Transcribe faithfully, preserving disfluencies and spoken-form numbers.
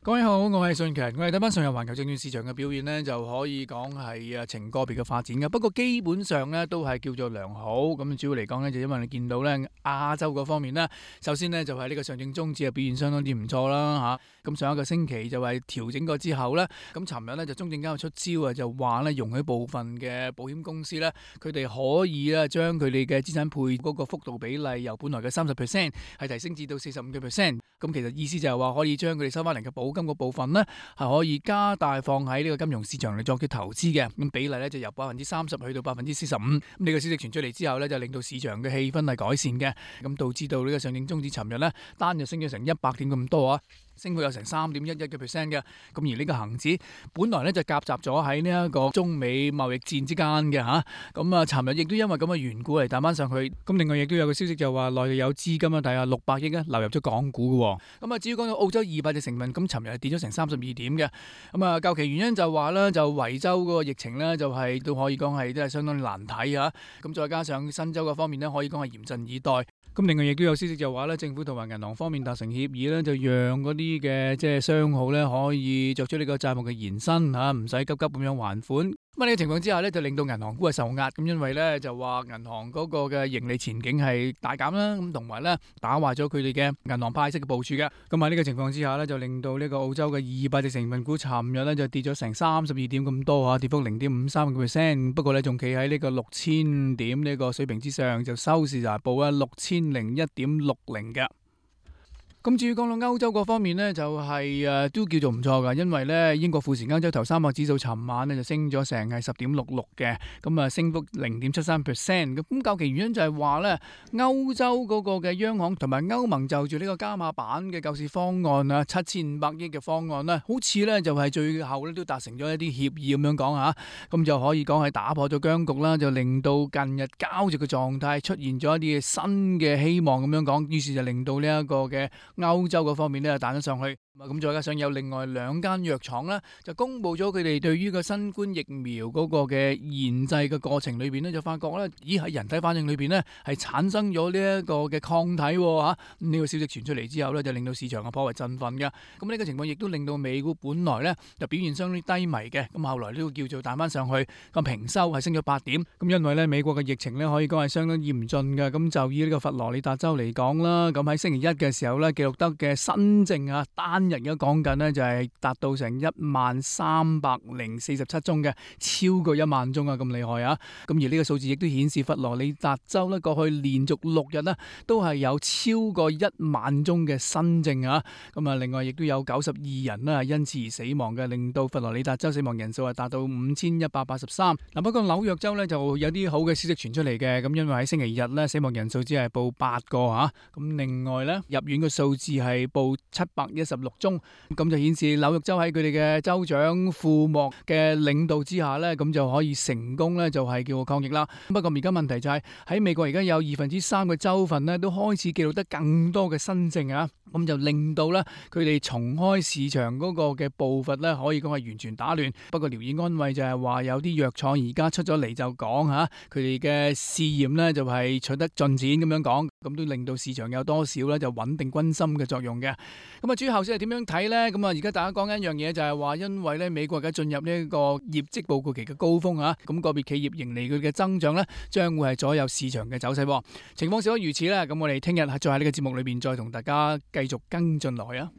各位好，我係信強。我哋睇翻上日環球證券市場嘅表現呢，就可以講係啊呈個別嘅發展嘅。不過基本上呢都係叫做良好。咁主要嚟講呢，就因為你見到呢亞洲嗰方面呢，首先呢就係呢個上證綜指嘅表現相當之唔錯啦嚇。咁上一個星期就係調整過之後呢，咁尋日呢就中證監出招啊，就話呢容許部分嘅保險公司呢，佢哋可以咧將佢哋嘅資產配嗰個幅度比例由本來嘅三十 percent 係提升至到四十五嘅 percent。咁其實意思就係話可以將佢哋收翻嚟嘅保金個部分呢，係可以加大放喺呢個金融市場嚟作嘅投資嘅。咁比例呢，就由百分之三十去到百分之四十五。咁呢個消息傳出嚟之後呢，就令到市場嘅氣氛係改善嘅。咁導致到呢個上證綜指尋日呢，單日升咗成一百點咁多啊，升幅有成三點一一嘅 percent 嘅。咁而呢個恒指本來呢，就夾雜咗喺呢一個中美貿易戰之間嘅嚇。咁啊，尋日亦都因為咁嘅緣故嚟彈翻上去。咁另外亦都有個消息就話內地有資金啊，大約六百億啊流入咗港股嘅。咁啊，至於講到澳洲二百隻成分，咁尋日係跌咗成三十二點嘅。咁啊，究其原因就話咧，就維州嗰個疫情咧，就係都可以講係都係相當難睇啊。咁再加上新州嗰方面咧，可以講係嚴陣以待。咁另外亦都有消息就話咧，政府同埋銀行方面達成協議咧，就讓嗰啲嘅即係商號咧可以作出呢個債務嘅延伸嚇，唔使急急咁樣還款。咁呢個情況之下咧，就令到銀行股係受壓，咁因為咧就話銀行嗰個嘅盈利前景係大減啦，咁同埋咧打壞咗佢哋嘅銀行派息嘅部署嘅。咁喺呢個情況之下咧，就令到呢個澳洲嘅二百隻成分股尋日咧就跌咗成三十二點咁多啊，跌幅零點五三個 percent。不過咧仲企喺呢個六千點呢個水平之上，就收市就係報啊六千零一點六零嘅。咁至於講到歐洲嗰方面呢，就係、是、誒都叫做唔錯噶，因為呢英國富時歐洲頭三百指數尋晚呢就升咗成係十點六六嘅，咁啊升幅零點七三 percent。咁究其原因就係話呢歐洲嗰個嘅央行同埋歐盟就住呢個加碼版嘅救市方案啊，七千五百億嘅方案呢，好似呢就係最後呢都達成咗一啲協議咁樣講吓，咁就可以講係打破咗僵局啦，就令到近日膠着嘅狀態出現咗一啲新嘅希望咁樣講，於是就令到呢一個嘅歐洲嗰方面咧彈咗上去，咁再加上有另外兩間藥廠咧就公布咗佢哋對於個新冠疫苗嗰個嘅研製嘅過程裏邊咧，就發覺咧，咦喺人體反應裏邊咧係產生咗呢一個嘅抗體喎嚇。呢個消息傳出嚟之後咧，就令到市場啊頗為振奮嘅。咁呢個情況亦都令到美股本來咧就表現相當低迷嘅，咁後來都叫做彈翻上去，咁平收係升咗八點。咁因為咧美國嘅疫情咧可以講係相當嚴峻嘅，咁就以呢個佛羅里達州嚟講啦，咁喺星期一嘅時候咧記錄得嘅新症啊，單日而家講緊呢就係達到成一萬三百零四十七宗嘅，超過一萬宗啊，咁厲害啊！咁而呢個數字亦都顯示佛羅里達州呢過去連續六日呢都係有超過一萬宗嘅新症啊！咁啊，另外亦都有九十二人呢因此而死亡嘅，令到佛羅里達州死亡人數係達到五千一百八十三。嗱，不過紐約州呢就有啲好嘅消息傳出嚟嘅，咁因為喺星期日呢死亡人數只係報八個吓，咁另外呢入院嘅數字係報七百一十六宗，咁就顯示紐約州喺佢哋嘅州長庫莫嘅領導之下呢，咁就可以成功呢，就係叫抗疫啦。不過而家問題就係喺美國而家有二分之三嘅州份呢，都開始記錄得更多嘅新症啊，咁就令到呢，佢哋重開市場嗰個嘅步伐呢，可以講係完全打亂。不過聊以安慰就係話有啲藥廠而家出咗嚟就講吓，佢哋嘅試驗呢，就係取得進展咁樣講，咁都令到市場有多少呢，就穩定軍心嘅作用嘅。咁啊，至於後市係點樣睇呢？咁啊，而家大家講緊一樣嘢就係話，因為咧美國而家進入呢一個業績報告期嘅高峰啊，咁個別企業盈利佢嘅增長咧，將會係左右市場嘅走勢。情況少不如此啦。咁我哋聽日再喺呢個節目裏邊再同大家繼續跟進落去啊。